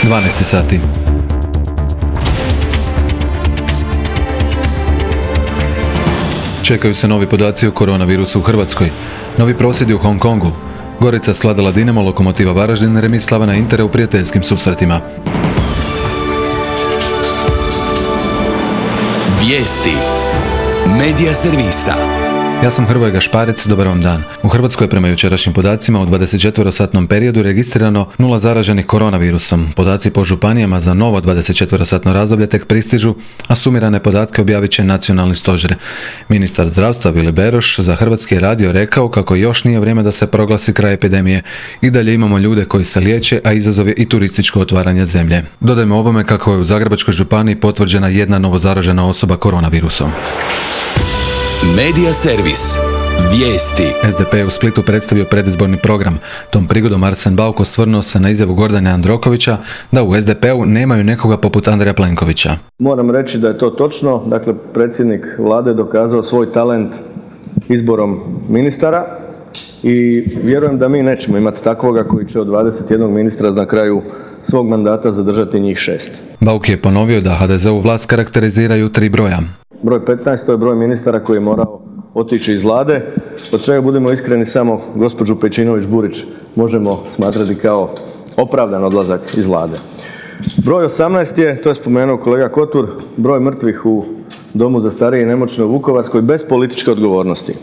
12 sati. Čekaju se novi podaci o koronavirusu u Hrvatskoj. Novi prosvjedi u Hong Kongu. Gorica svladala Dinamo, Lokomotiva Varaždin, remis Slavana Intera u prijateljskim susretima. Vijesti Medija servisa. Ja sam Hrvoje Gašparec, dobar vam dan. U Hrvatskoj je prema jučerašnjim podacima u 24-satnom periodu registrirano 0 zaraženih koronavirusom. Podaci po županijama za novo 24-satno razdoblje tek pristižu, a sumirane podatke objavit će nacionalni stožer. Ministar zdravstva Vili Beroš za Hrvatski radio rekao kako još nije vrijeme da se proglasi kraj epidemije. I dalje imamo ljude koji se liječe, a izazov je i turističko otvaranje zemlje. Dodajmo ovome kako je u Zagrebačkoj županiji potvrđena jedna novo zaražena osoba koronavirusom. Medija servis. Vijesti. SDP je u Splitu predstavio predizborni program. Tom prigodom Arsen Bauk osvrnuo se na izjavu Gordana Jandrokovića da u SDP-u nemaju nekoga poput Andreja Plenkovića. Moram reći da je to točno. Dakle, predsjednik vlade je dokazao svoj talent izborom ministara i vjerujem da mi nećemo imati takvoga koji će od 21 ministra na kraju svog mandata zadržati njih 6. Bauk je ponovio da HDZ-u vlast karakteriziraju 3 broja. Broj 15 to je broj ministara koji je morao otići iz vlade, od čega budemo iskreni samo gospođu Pejčinović-Burić možemo smatrati kao opravdan odlazak iz vlade. Broj 18 je, to je spomenuo kolega Kotur, broj mrtvih u domu za starije i nemoćne u Vukovarskoj bez političke odgovornosti.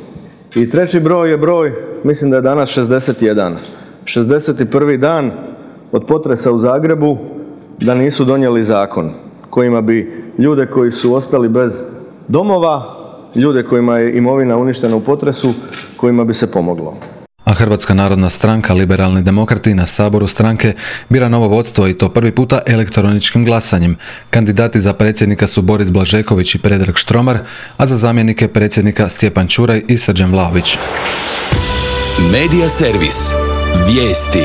I treći broj je broj, mislim da je danas 61. 61. dan od potresa u Zagrebu da nisu donijeli zakon kojima bi ljude koji su ostali bez domova, ljude kojima je imovina uništena u potresu, kojima bi se pomoglo. A Hrvatska narodna stranka, Liberalni demokrati, na saboru stranke bira novo vodstvo i to prvi puta elektroničkim glasanjem. Kandidati za predsjednika su Boris Blažeković i Predrag Štromar, a za zamjenike predsjednika Stjepan Čuraj i Srđan Vlahović. Medija servis. Vijesti.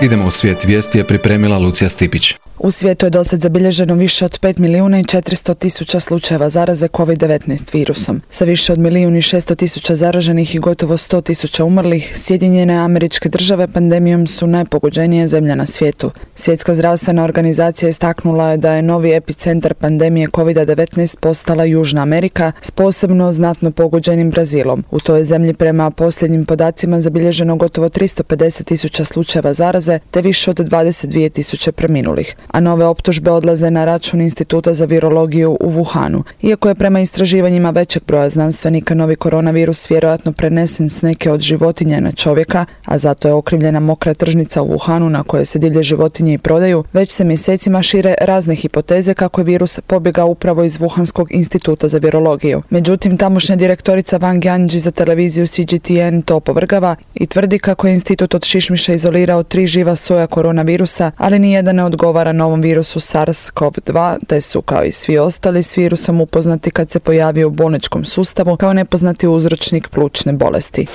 Idemo u svijet. Vijesti je pripremila Lucija Stipić. U svijetu je dosad zabilježeno više od 5.400.000 slučajeva zaraze COVID-19 virusom. Sa više od 1.600.000 zaraženih i gotovo 100.000 umrlih, Sjedinjene Američke Države pandemijom su najpogođenija zemlja na svijetu. Svjetska zdravstvena organizacija istaknula je da je novi epicentar pandemije COVID-19 postala Južna Amerika s posebno znatno pogođenim Brazilom. U toj zemlji prema posljednjim podacima zabilježeno gotovo 350.000 slučajeva zaraze te više od 22.000 preminulih. A nove optužbe odlaze na račun Instituta za virologiju u Wuhanu. Iako je prema istraživanjima većeg broja znanstvenika novi koronavirus vjerojatno prenesen s neke od životinja na čovjeka, a zato je okrivljena mokra tržnica u Wuhanu na kojoj se divlje životinje i prodaju, već se mjesecima šire razne hipoteze kako je virus pobjegao upravo iz Wuhanskog instituta za virologiju. Međutim, tamošnja direktorica Wang Yanji za televiziju CGTN to opovrgava i tvrdi kako je institut od šišmiša izolirao 3 živa soja koronavirusa, ali nijedan ne odgovara novom virusu SARS-CoV-2, te su, kao i svi ostali, s virusom upoznati kad se pojavio u bolničkom sustavu kao nepoznati uzročnik plućne bolesti.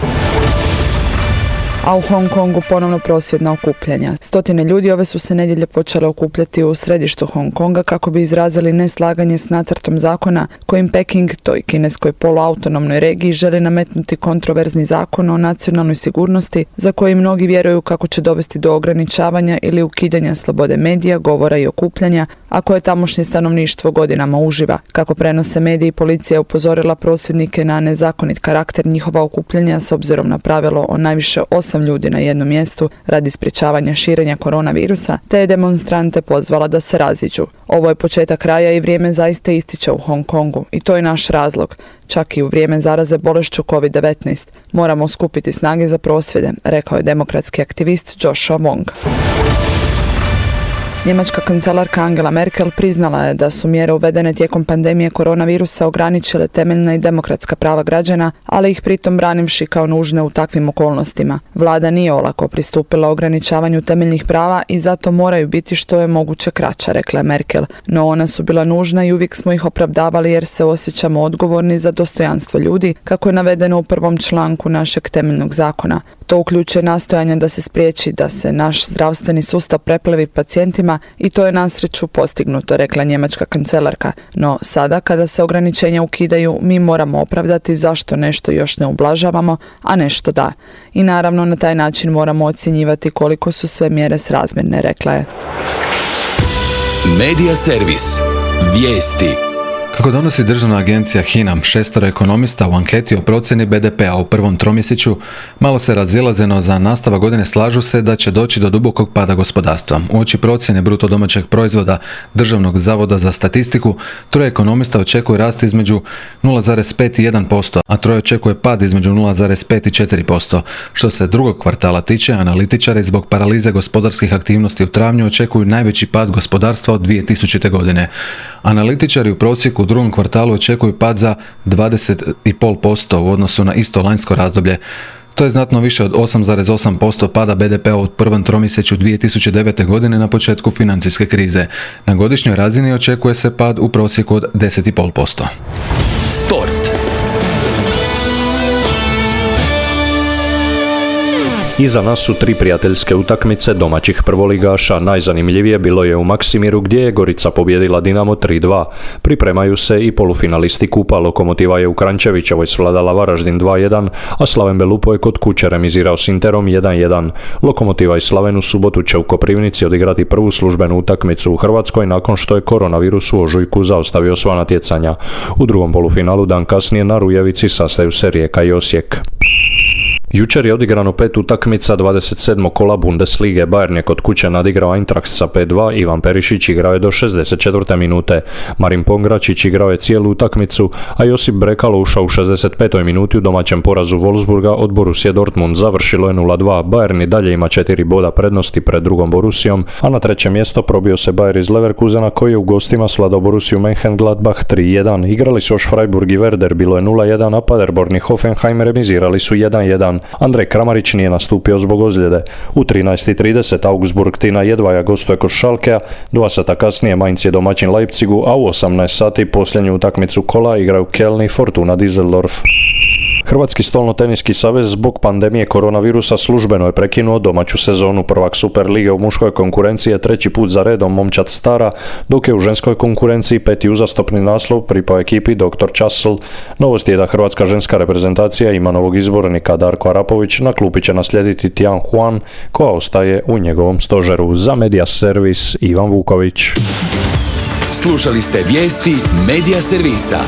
A u Hong Kongu ponovno prosvjedna okupljanja. Stotine ljudi ove su se nedjelje počele okupljati u središtu Hong Konga kako bi izrazili neslaganje s nacrtom zakona kojim Peking, toj kineskoj poluautonomnoj regiji, želi nametnuti kontroverzni zakon o nacionalnoj sigurnosti za koji mnogi vjeruju kako će dovesti do ograničavanja ili ukidanja slobode medija, govora i okupljanja, a koje tamošnje stanovništvo godinama uživa. Kako prenose mediji, policija je upozorila prosvjednike na nezakonit karakter njihova okupljanja s obzirom na pravilo o najviše 8 ljudi na jednom mjestu radi sprječavanja širenja koronavirusa, te je demonstrante pozvala da se raziđu. Ovo je početak kraja i vrijeme zaista ističe u Hong Kongu i to je naš razlog. Čak i u vrijeme zaraze bolešću COVID-19 moramo skupiti snage za prosvjede, rekao je demokratski aktivist Joshua Wong. Njemačka kancelarka Angela Merkel priznala je da su mjere uvedene tijekom pandemije koronavirusa ograničile temeljna i demokratska prava građana, ali ih pritom branivši kao nužne u takvim okolnostima. Vlada nije olako pristupila ograničavanju temeljnih prava i zato moraju biti što je moguće kraća, rekla je Merkel. No ona su bila nužna i uvijek smo ih opravdavali jer se osjećamo odgovorni za dostojanstvo ljudi, kako je navedeno u 1. članku našeg temeljnog zakona. To uključuje nastojanja da se spriječi da se naš zdravstveni sustav preplevi pacijentima i to je na sreću postignuto, rekla njemačka kancelarka. No sada kada se ograničenja ukidaju, mi moramo opravdati zašto nešto još ne ublažavamo, a nešto da. I naravno na taj način moramo ocjenjivati koliko su sve mjere srazmjerne, rekla je. Medija servis. Vijesti. Kako donosi državna agencija HINA, 6 ekonomista u anketi o procjeni BDP-a u prvom tromjesečju malo se razilaze, no za nastavak godine slažu se da će doći do dubokog pada gospodarstva. Uoči procjene bruto domaćeg proizvoda Državnog zavoda za statistiku, 3 ekonomista očekuje rast između 0,5 i 1%, a 3 očekuje pad između 0,5 i 4%. Što se drugog kvartala tiče, analitičari zbog paralize gospodarskih aktivnosti u travnju očekuju najveći pad gospodarstva od 2000. godine. Analitičari u prosjeku u drugom kvartalu očekuju pad za 20,5% u odnosu na isto lanjsko razdoblje. To je znatno više od 8,8% pada BDP-a u prvom tromjesečju 2009. godine na početku financijske krize. Na godišnjoj razini očekuje se pad u prosjeku od 10,5%. Sport. Iza nas su 3 prijateljske utakmice domaćih prvoligaša. Najzanimljivije bilo je u Maksimiru gdje je Gorica pobijedila Dinamo 3:2. Pripremaju se i polufinalisti kupa. Lokomotiva je u Kranjčevićevoj svladala Varaždin 2:1, a Slaven Belupo je kod kuće remizirao s Interom 1:1. Lokomotiva i Slaven u subotu će u Koprivnici odigrati prvu službenu utakmicu u Hrvatskoj nakon što je koronavirus u ožujku zaustavio sva natjecanja. U drugom polufinalu dan kasnije na Rujevici sastaju se Rijeka i Osijek. Jučer je odigrano 5 utakmica 27. kola Bundeslige. Bayern je kod kuće nadigrao Eintracht sa 5:2, Ivan Perišić igrao je do 64. minute. Marin Pongračić igrao je cijelu utakmicu, a Josip Brekalo ušao u 65. minuti u domaćem porazu Wolfsburga od Borussia Dortmund. Završilo je 0:2. Bayern i dalje ima 4 boda prednosti pred drugom Borussijom, a na treće mjesto probio se Bayer iz Leverkusena koji je u gostima svladao Borussiju Mönchengladbach 3:1. Igrali su još Freiburg i Werder, bilo je 0:1, a Paderborn i Hoffenheim remizirali su 1:1. Andrej Kramarić nije nastupio zbog ozljede. U 13:30 Augsburg Tina Jedvaja gostuje kod Schalkea, 2 sata kasnije Mainz je domaćin Leipzigu, a u 18 sati posljednju utakmicu kola igraju Keln i Fortuna Düsseldorf. Hrvatski stolnoteniski savez zbog pandemije koronavirusa službeno je prekinuo domaću sezonu. Prvak Super lige u muškoj konkurenciji je 3. put za redom momčad Stara, dok je u ženskoj konkurenciji 5. uzastopni naslov pripao ekipi Dr. Časl. Novost je da hrvatska ženska reprezentacija ima novog izbornika. Darko Arapović na klupi će naslijediti Tian Huan, koja ostaje u njegovom stožeru. Za Medija servis Ivan Vuković. Slušali ste vijesti Medija servisa.